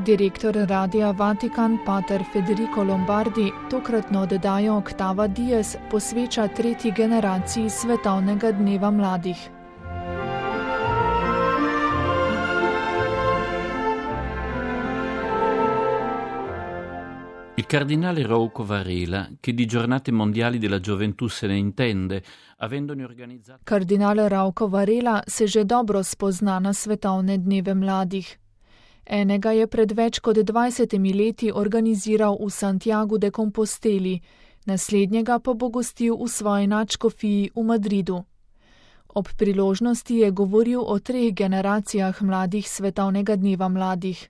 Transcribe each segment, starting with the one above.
Direktor Radia Vatikan pater Federico Lombardi tokratno oddajo Octava Dies posveča tretji generaciji svetovnega dneva mladih. Il cardinale Rouco Varela, che di giornate mondiali della gioventù se ne intende, avendone organizzato... Kardinal Rouco Varela se že dobro spozna na svetovne dneve mladih. Enega je pred več kot 20 leti organiziral v Santiagu de Composteli, naslednjega pa bo gostil v svoji nadškofiji v Madridu. Ob priložnosti je govoril o 3 generacijah mladih svetovnega dneva mladih.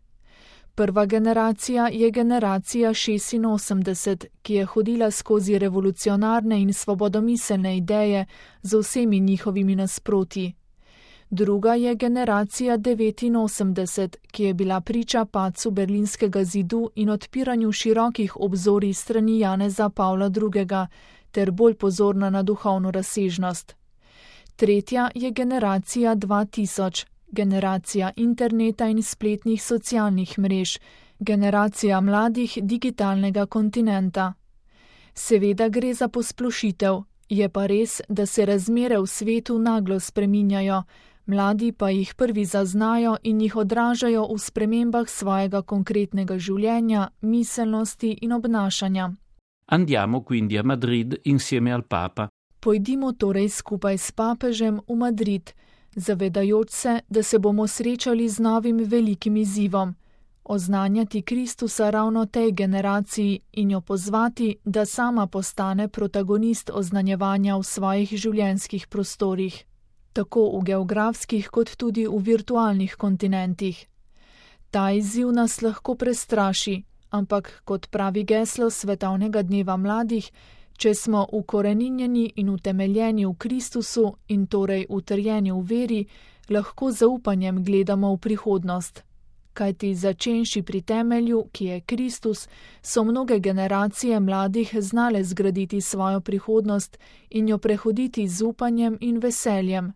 Prva generacija je generacija 86, ki je hodila skozi revolucionarne in svobodomiselne ideje z vsemi njihovimi nasprotji. Druga je generacija 89, ki je bila priča padcu Berlinskega zidu in odpiranju širokih obzorij strani Janeza Pavla II. Ter bolj pozorna na duhovno razsežnost. Tretja je generacija 2000, generacija interneta in spletnih socialnih mrež, generacija mladih digitalnega kontinenta. Seveda gre za posplošitev, je pa res, da se razmere v svetu naglo spreminjajo, mladi pa jih prvi zaznajo in jih odražajo v spremembah svojega konkretnega življenja, miselnosti in obnašanja. Andiamo quindi a Madrid insieme al Papa. Pojdimo torej skupaj s papežem v Madrid, zavedajoč se, da se bomo srečali z novim velikim izzivom, oznanjati Kristusa ravno tej generaciji in jo pozvati, da sama postane protagonist oznanjevanja v svojih življenjskih prostorih, tako v geografskih kot tudi v virtualnih kontinentih. Ta izziv nas lahko prestraši, ampak kot pravi geslo svetovnega dneva mladih, če smo ukoreninjeni in utemeljeni v Kristusu in torej utrjeni v veri, lahko z zaupanjem gledamo v prihodnost. Kajti začenši pri temelju, ki je Kristus, so mnoge generacije mladih znale zgraditi svojo prihodnost in jo prehoditi z upanjem in veseljem.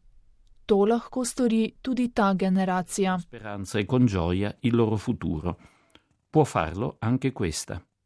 To lahko stori tudi ta generacija. Speranza e con gioia il loro futuro. Può farlo anche questa.